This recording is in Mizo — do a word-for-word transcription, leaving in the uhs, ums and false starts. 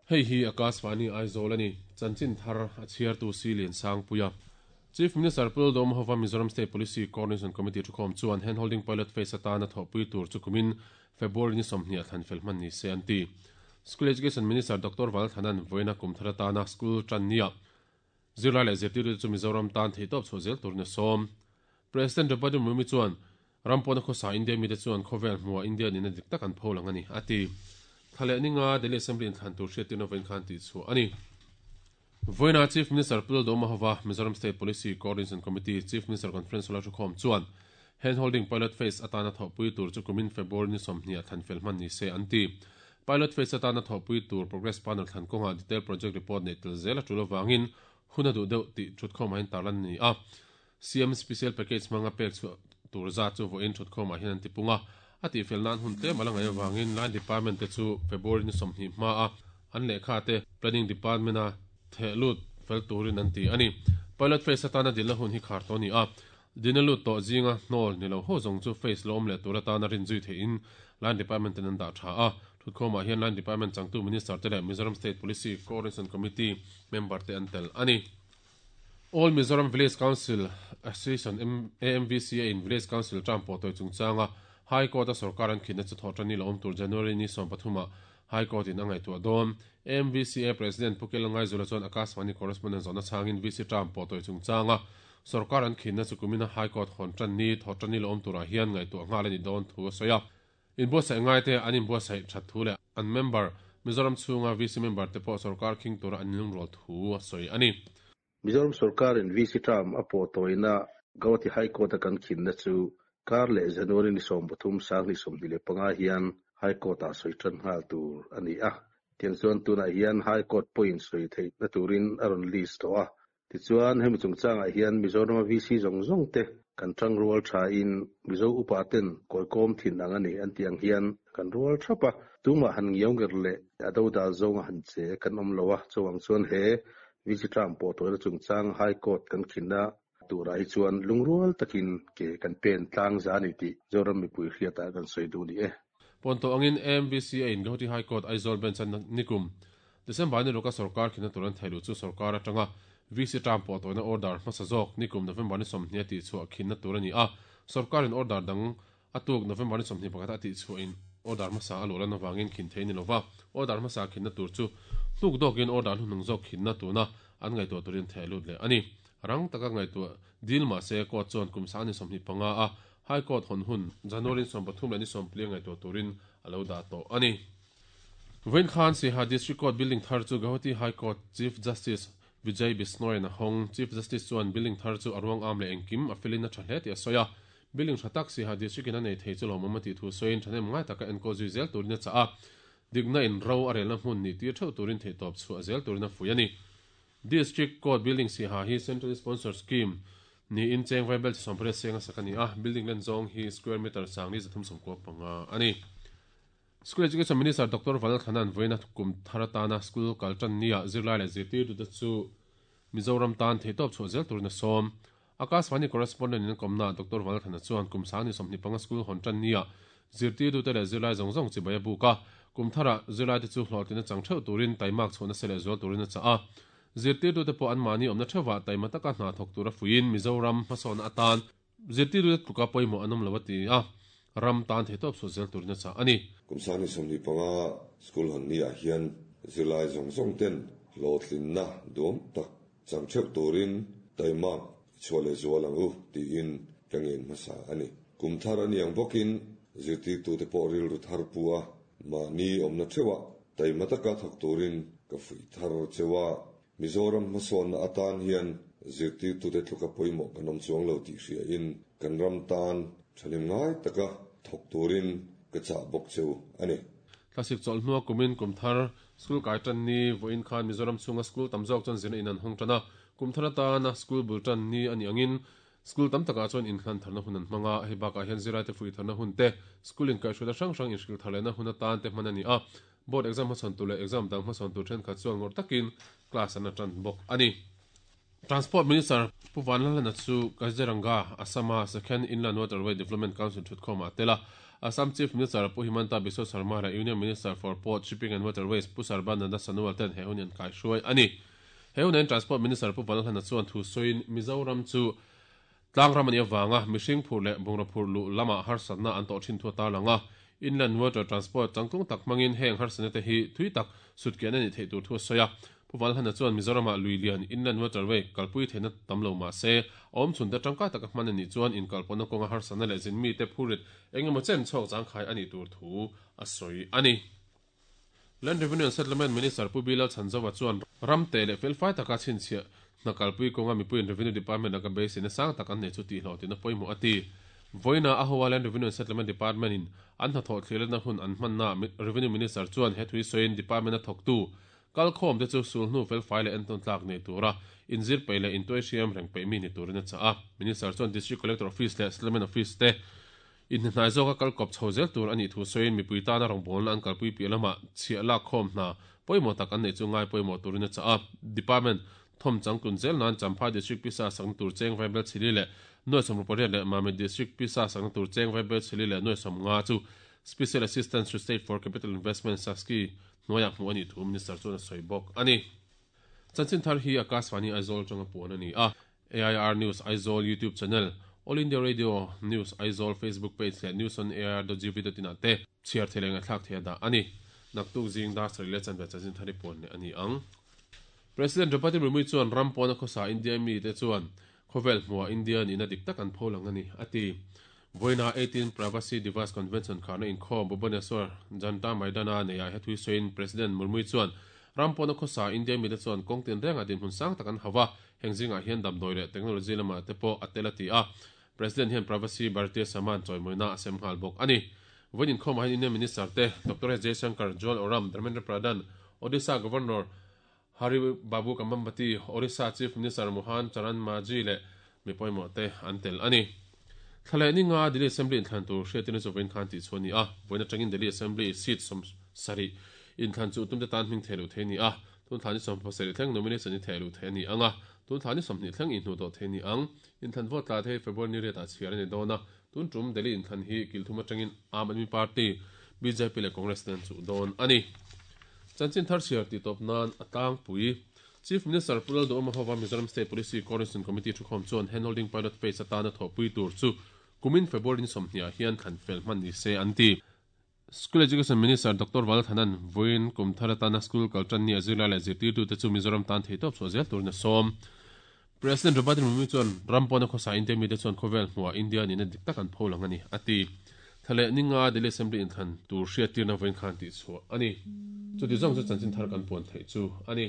Hei hi Akashvani Aizawl ani chanchin thar a chhiar tu si lian sang puia Chief Minister Pu Lalduhoma hova Mizoram State Policy Coordination Committee thukhawm chuan handholding pilot phase atana thawhpui tur chu kumin February ni sawmhnih a thlan fel hman ni se an ti. School Education Minister Doctor Vanlalthanan vawiina kum thar atana school tan nia zirlai leh zirtirtu chu Mizoram tan theitawp chhuah zel turin a sawm. President Draupadi Murmu chuan ram pawna khawsa India mite chuan khawvel hmuah India nihna dik tak an pho lang a ni, a ti. Thla leh ninga Delhi Assembly inthlan tur hriattirna vawiin khan tih chhuah a ni. Vawiina Chief Minister Pu Lalduhoma hova Mizoram State Policy Coordination Committee Chief Minister Conference hall a thukhawm chuan handholding pilot phase atana thawhpui tur chu kumin February ni sawmhnih a thlan fel hman ni se an ti. Pilot phase atana thawhpui tur progress panel thlan kawngah detail project report neih tel zel a tul avangin hun a duh deuh tih thutkhawmah hian tarlan a ni a. C M Special Package hmanga pek chhuah tur zat chu vawiin thutkhawmah hian an ti pung a. A tihfel nan hun tlem a la ngaih avangin line department te chu February ni sawmhnih hmaa an lehkha te planning department a theh lut fel turin an ti a ni. Pilot phase atana dilna hun hi khar tawh a ni a. Dilna lut tawh zinga hnawl ni lo ho zawng chu phase lawm leh tur atana rin zui theihin line department ten an dah tha a. Thutkhawmah hian line department changtu minister te leh Mizoram State Policy Coordination Committee member te an tel a ni. All Mizoram Village Council Association A M V C A in Village Council term pawh tawi chungchanga High Court a sarkar an khinna chu thawh tan ni lo awm tur January ni sawm pathumah High Court in a ngaihtuah dawn. A M V C A President Pu Kelangai Zula chuan Akashvani correspondent zawhna chhangin V C term pawh tawi chungchanga sarkar an khinna chu kumina High Court hawn tan ni thawh tan ni lo awm turah hian ngaihtuah nghal a ni dawn thu a sawi a. Inbuatsaih ngai te an inbuatsaih that thu leh an member Mizoram chhunga V C member te pawh sarkar khing tura an inlungrual thu a sawi a ni. Mizoram sarkar in V C term a pawh tawina Guwahati High Court a kan khinna chu kar leh January ni sawm pathum sang ni sawmhnih leh panga hian High Court a sawi tan nghal tur a ni a. Tiang chuan tunah hian High Court pawhin sawi theih na turin a rawn list tawh a. Tichuan hemi chungchangah hian Mizoram V C zawng zawng te kan tang rual tha in Mizo upa ten kawikawm thin ang ani an tiang hian kan rual thap a. Tumah han ngiau nger leh a do dal zawnga han che kan awm lo a. Chawang chuan he V C term pawh tawina chungchang High Court kan khinna turah hi chuan lungrual takin ke kan pen tlang za ni tih Zoram mipui hriatah kan sawi duh ni e. Pawn tawh angin A M V C A in Guwahati High Court Aizawl bench an nikum December ni ruka sarkar khinna tur an theilu chu sarkar atanga V C term pawh tawina order hmasa zawk nikum November ni sawmhnih a tih chhuah khinna tur ani a. Sarkar in order dang atuk November ni sawmhnih pakhat a tih chhuah in order hmasa a luh lan awangin khin thei ni lova. Order hmasa khinna tur chu hnuk dawkin order hnung zawk khinna tuna an ngaihtuah turin theh lut leh ani. Rang taka ngaihtuah dil ma se court chuan kum sang ni sawmhnih panga a High Court hawn hun January sawm pathum leh ni sawm pali ngaihtuah turin a lo dah tawh ani. Vawiin khan Siaha District Court building thar chu Guwahati High Court Chief Justice Vijay Bishnoi na hawng. Chief Justice chuan building thar chu a ruang am leh engkim a felin a tha hle tih a sawi a. Building tha tak Siaha District in a nei thei chu lawmawm a tih thu sawiin thahnem ngai taka enkawl zui zel turin a chah a. Dikna in ro a relna hmun ni tir theuh turin theihtawp chhuah zel turin a fui a ni. District Court building Siaha hi Central Sponsor Scheme ni in cheng vai bel chi sawm pariat seng a sak ani a. Building len zawng hi square meter sang ni zathum sawmkua panga ani. School Education Minister Doctor Vanlalthanan vawiina kum thar atana school kal tan nia zirlai leh zirtirtu te chu Mizoram tan theitawp chhuah zel turin a sawm. Akashvani correspondent in komna Doctor Vanlalthana chuan kum sang ni sawmhnih panga school hawn tan nia zirtirtu te leh zirlai zawng zawng chibai a buk a. Kum thara zirlai te chu hlawhtlin a chang theuh turin taimak chhuahna se leh zual turin a chah a. Zirtirtu te pawh an mahni awmna theuhah taima taka hna thawk tur a fuiin Mizoram hmasawn atan zirtirtu te tluka pawimawh an awm lo a ti a. Ram tan theitawp chhuah zel turin a chah ani. Kum sang ni sawmhnih panga school hawn ni ah hian zirlai zawng zawng ten hlawhtlinna duam tak chang theuh turin taimak chhuah leh zual ang u tiin ka ngen hmasa ani. Kum thar ani ang bawkin zirtirtu te pawh rilru thar pu a mahni awmna theuhah taima taka thawk turin ka fui thar chewa. Mizoram hmasawnna atan hian zirtirtu te tluka pawimawh kan awm chuang lo tih hria in kan ram tan thahnem ngai taka thawk turin ka chah bawk cheu ani. Thlasik chawlh hnua kumin kum thar school kai tan ni vawiin khan Mizoram chhunga school tam zawk chuan zirna in an hawng tan a. Kum thar atana school bul tan ni ani angin school tam takah chuan inhlan tharna hun an hmanga. Hei bakah hian zirlai te fui tharna hun te school in kaihhruaina hrang hrang inhril thar lehna hun atan te hman ani a. Board exam hmasawn tur leh exam dang hmasawn tur thenkhat chuan ngawr takin class an atan bawk ani. Transport Minister Pu Vanlalhlana chu Kaziranga, Assama Second Inland Waterway Development Council thutkhawmah a tel a. Assam Chief Minister Pu Himanta Biswa Sarma leh Union Minister for Port, Shipping and Waterways Pu Sarbananda Sonowal ten he hun hi an kaihruai a ni. He hunain Transport Minister Pu Vanlalhlana chuan thu sawiin Mizoram chu tlangram a nih avanga mihring phur leh bungraw phur luh lamah harsatna an tawh thin thu a tarlang a. Inland Water Transport changtlung tak hmangin heng harsatna te hi thui tak sutkian a nih theih tur thu a sawi a. Pu Vanlalhlana chuan Mizoramah lui lian Inland Waterway kalpui theihna tam lo mah se, a awmchhun te tangkai taka hman a nih chuan inkalpawhna kawnga harsatna leh zinmi te phurit engemaw chen chhuak zangkhai a nih tur thu a sawi a ni. Land Revenue and Settlement Minister Pu Bilal Chhanzova chuan ramte leh felfai taka chhinchhiah hna kalpui kawnga mipuiin Revenue Department laka beiseina sang tak an nei chu tihhlawh tina pawimawh a ti. Vawiina a hoa Land Revenue and Settlement Department in an hnathawh thliletna hun an hmanna Revenue Minister chuan he thui sawiin Department a thawktu kalkhawm te chu sulhnu felfai leh entawn tlak nei tura inzir peih leh intuai hriam reng peih mi ni turin a chah a. Minister chuan District Collector Office leh Settlement Office te inhnahnai zawka kalkawp chho zel tur a nih thu sawiin mipui tana rawngbawlna an kalpui piah lamah chhiah lak khawm hna pawimawh tak an neih chu ngai pawimawh turin a chah a. Department thawm changtlun zel nan Champhai District Pisa sakna tur cheng Vaibel Chili leh nuai sawmruk pariat leh Mamit District Pisa sakna tur cheng Vaibel Chili leh nuai sawm nga chu Special Assistant to State for Capital Investment SASCI hnuaiah hmuh a nih thu Minister chuan a sawi bawk a ni. Chanchin thar hi Akashvani Aizawl atanga puan a ni a. A I R News Aizawl YouTube channel, All India Radio News Aizawl Facebook page leh news on A I R dot gov dot in ah te chhiar thei leh ngaihthlak thei a dah a ni. Naktuk zing dar sarih leh chanve chanchin thar hi puan leh a ni ang. President Draupadi Murmu chuan ram pawna khawsa India mite chuan khawvel hmuah India nihna dik tak an pho lang a ni, a ti. Vawiina eighteen Pravasi Divas Convention kharna inkhawm Bhubaneswar Janta Maidana neiah he thui sawiin President Murmu chuan ram pawna khawsa India mite chuan kawng tin rengah dinhmun sang tak an hau a, heng zingah hian damdawi leh technology lamah te pawh a tel a ti a. President hian Pravasi Bharatiya Samman chawimawina a sem nghal bawk a ni. Vawiin inkhawmah hian Union Minister te Doctor S Jaishankar, Jual Oram, Dharmendra Pradhan, Odisha Governor Hari Babu Kambhampati, Orissa Chief Minister Mohan Charan Majhi leh mi pawimawh te an tel a ni. Thla leh ninga Delhi Assembly inthlan tur hriatin chu vawiin khan tih chhuah a ni a, vawiin atangin Delhi Assembly seat sawm sarih inthlan chu tumte tan hming thei loh thei a ni a, tun thla ni sawm pasarih thleng nomination hi thei loh thei a ni ang a, tun thla ni sawmhnih thleng inhnuh tawh thei a ni ang. Inthlan vote tla thei February ni riatah chhiar a ni dawn a, tun tum Delhi inthlan hi kilthum atangin Aam Aadmi Party, B J P leh Congress te an chuh dawn a ni. Chanchin thar chhiar tih tawp nan a tlangpui. Chief Minister Pu Lalduhoma hova Mizoram State Policy Coordination Committee thukhawm chuan handholding pilot phase atana thawhpui tur chu kumin February ni sawmhnih ah hian thlan fel hman ni se an ti. School Education Minister Doctor Valthanan vawiin kum thar atana school kal tan ni a zirlai leh zirtirtute chu Mizoram tan theitawp chhuah zel turin a sawm. President Draupadi Murmu chuan ram pawna khawsa India mite chuan khawvel hmuah India nihna dik tak an pho lang a ni, a ti. Thla leh ninga Delhi Assembly inthlan tur hriattirna vawiin khan tih chhuah a ni. Chuti zawng chu chanchin thar kan puan theih chu a ni.